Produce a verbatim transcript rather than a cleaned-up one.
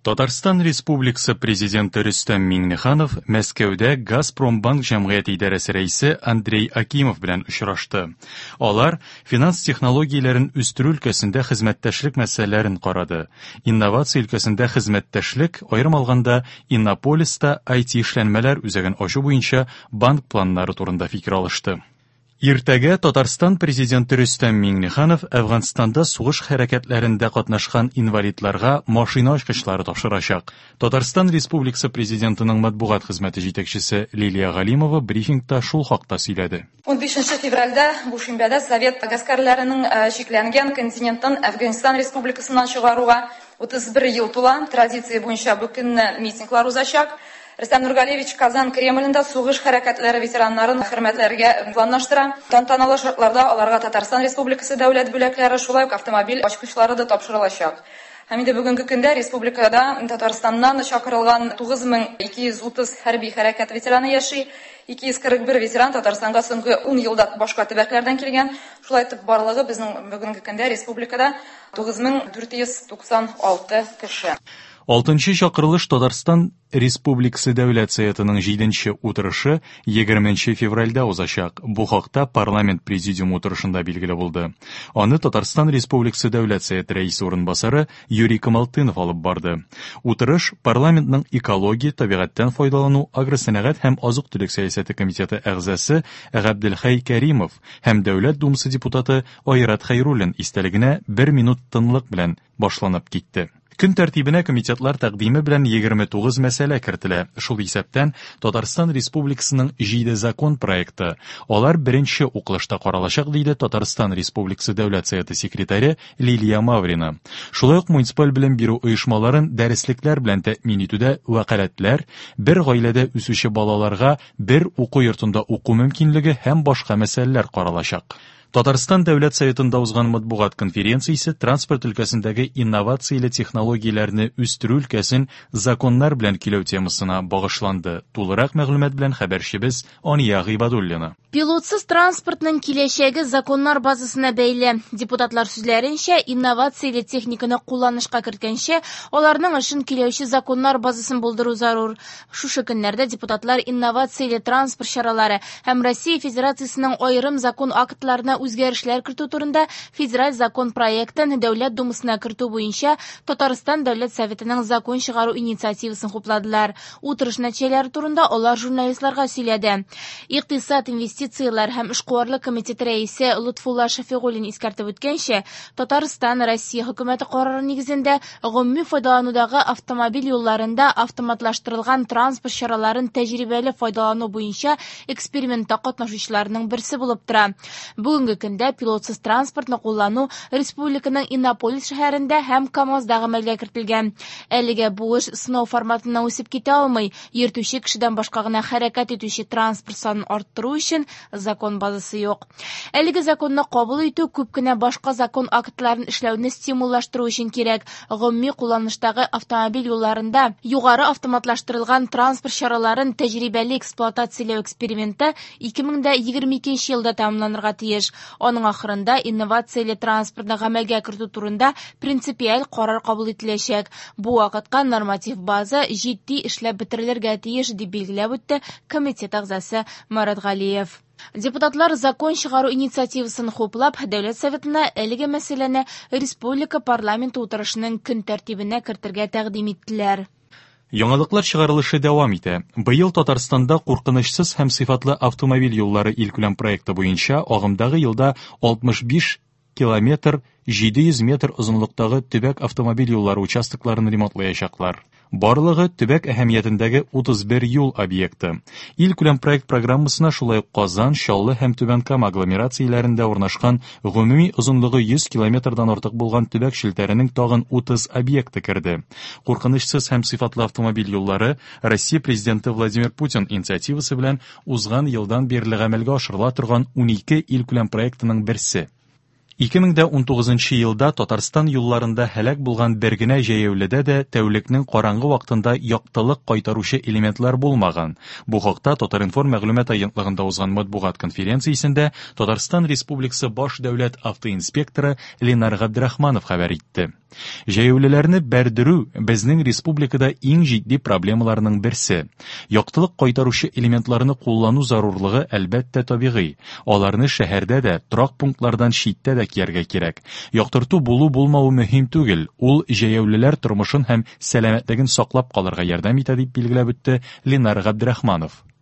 Татарстан Республикасы Президенты Рөстәм Миңнеханов Мәскәүдә Газпромбанк җәмгыяте идарәсе рәисе Андрей Акимов белән очрашты. Алар финанс технологияләрен үстерү өлкәсендә хезмәттәшлек мәсьәләләрен карады. Инновация өлкәсендә хезмәттәшлек, аерым алганда, Иннополиста I T эшләнмәләр үзәген ачу буенча банк планнары турында фикер алышты. Иртәгә Татарстан Президенты Рөстәм Миңнеханов Әфганстанда сугыш хәрәкәтләрендә катнашкан инвалидларга машина ачкычлары тапшырачак. Татарстан Республикасы Президентының матбугат хезмәте җитәкчесе Лилия Галимова брифингта шул хакта сөйләде. Ун бишенче февральдә бу шимбәдә Совет гаскәрләренең, э, чикләнгән континенттан Әфганстан Республикасыннан чыгаруга утыз бер ел тула. Традиция буенча бу көнне митинглар узачак. Рөстәм Нургалиевич Казан Кремлендә сугыш хәрәкәтләре ветераннарын хөрмәтләргә планлаштыра. Тантаналы шартларда аларга Татарстан Республикасы дәүләт бүләкләре, шулай ук автомобиль ачкычлары да тапшырылачак. Һәм инде бүгенге көндә республикада Татарстаннан чакырылган тугыз мең ике йөз утыз хәрби хәрәкәт ветераны яши. Ике йөз кырык бер ветеран Татарстанга соңгы ун елда башка төбәкләрдән килгән. Шулай итеп, барлыгы безнең бүгенге көндә республикада тугыз мең дүрт йөз туксан алты кеше. Алтынчы чакырылыш Татарстан Республикасы Дәүләт Советының җиденче утырышы егерменче февральдә узачак. Бу хакта парламент президиумы утырышында билгеле булды. Аны Татарстан Республикасы Дәүләт Советы рәисе урынбасары Юрий Камалтынов алып барды. Утырыш парламентның экология, табигатьтән файдалану, агросәнәгать һәм азык-төлек сәясәте комитеты әгъзасы Габделхәй Кәримов һәм Дәүләт Думасы депутаты Айрат Хәйруллин истәлегенә бер минут тынлык белән башланып китте. Көн тәртибенә комитетлар тәкъдиме белән егерме тугыз мәсьәлә кертелә. Шул исәптән Татарстан Республикасының җиде закон проекты. Алар беренче укылышта каралачак, диде Татарстан Республикасы Дәүләт Советы секретаре Лилия Маврина. Шулай ук муниципаль белем бирү оешмаларын дәреслекләр белән тәэмин итүдә вәкаләтләр, бер гаиләдә үсүче балаларга бер уку йортында уку мөмкинлеге һәм башка мәсьәләләр каралачак. Татарстан Дәүләт Советында узган матбугат конференциясе транспорт өлкәсендәге инновацияле технологияләрне үстерү өлкәсен законнар белән көйләү темасына багышланды. Тулырак мәгълүмат белән хәбәрчебез Ания Гыйбадуллина. Пилотсыз транспортның киләчәге законнар базасына бәйле. Депутатлар сүзләренчә, инновацияле техниканы кулланышка керткәнче, аларның эшен көйләүче законнар базасын булдыру зарур. Шушы көннәрдә депутатлар инновацияле транспорт чаралары һәм Россия Федерациясенең аерым закон актларына үзгәрешләр кертү турында федераль закон проектын Дәүләт Думасына кертү буенча Татарстан Дәүләт Советының закон чыгару инициативасын хупладылар. Утырыш нәтиҗәләре турында алар журналистларга сөйләде. Икътисад, инвестицияләр һәм эшкуарлык комитеты рәисе Лотфулла Шәфигуллин искәртеп үткәнчә, Татарстан Россия хөкүмәте карары нигезендә гомуми файдаланудагы автомобиль юлларында автоматлаштырылган транспорт чараларын тәҗрибәле файдалану буенча экспериментта катнашучыларның берсе булып тора. Бүгенге көндә пилотсыз транспортны куллану республиканың Иннополис шәһәрендә һәм КАМАЗда гамәлгә кертелгән. Әлегә бу эш сынау форматыннан үсеп китә алмый. Йөртүче кешедән башка гына хәрәкәт итүче транспорт санын арттыру өчен закон базасы юк. Әлеге законны кабул итү күп кенә башка закон актларын эшләүне стимуллаштыру өчен кирәк. Гомуми кулланыштагы автомобиль юлларында югары автоматлаштырылган транспорт чараларын тәҗрибәле эксплуатацияләү эксперименты ике мең дә егерме икенче елда тәмамланырга тиеш. Аның ахырында инновацияле транспортны гамәлгә кертү турында принципиаль карар кабул ителәчәк. Бу вакытка норматив база җитди эшләп бетерелергә тиеш, дип билгеләп үтте комитет әгъзасы Марат Галиев. Депутатлар закон чыгару инициативасын хуплап, Дәүләт Советына әлеге мәсьәләне республика парламенты утырышының көн тәртибенә кертергә тәкъдим иттеләр. Яңалыклар чыгарылышы дәвам итә. Быел Татарстанда куркынычсыз һәм сыйфатлы автомобиль юллары илкүләм проекты буенча агымдагы елда алтмыш биш километр җиде йөз метр озынлыктагы төбәк автомобиль юллары участокларын ремонтлаячаклар. Барлыгы төбәк әһәмиятендәге утыз бер юл объекты. Илкүләм проект программасына шулай ук Казан, Чаллы һәм Түбән Кама агломерацияләрендә урнашкан гомуми озынлыгы йөз километрдан артык булган төбәк челтәренең тагын утыз объекты керде. Куркынычсыз һәм сыйфатлы автомобиль юллары Россия Президенты Владимир Путин инициативасы белән узган елдан бирле гамәлгә ашырыла торган унике илкүләм проектының берсе. Ике мең дә унтугызынчы елда Татарстан юлларында һәлак булган бер генә җәяүледә дә тәүлекнең караңгы вакытында яктылык кайтаручы элементлар булмаган. Бу хакта Татар-информ мәгълүмат агентлыгында узган матбугат конференциясендә Татарстан Республикасы баш дәүләт автоинспекторы Ленар Габдрахманов хәбәр итте. Җәяүлеләрне бәрдерү безнең республикада иң җитди проблемаларның берсе. Яктылык кайтаручы элементларны куллану зарурлыгы, әлбәттә, табигый. Аларны шәһәрдә дә, торак пунктлардан читтә дә кияргә кирәк. Яктырту булу-булмавы мөһим түгел, ул җәяүлеләр тормышын һәм сәламәтлеген саклап калырга ярдәм итә, дип билгеләп үтте Ленар Габдрахманов.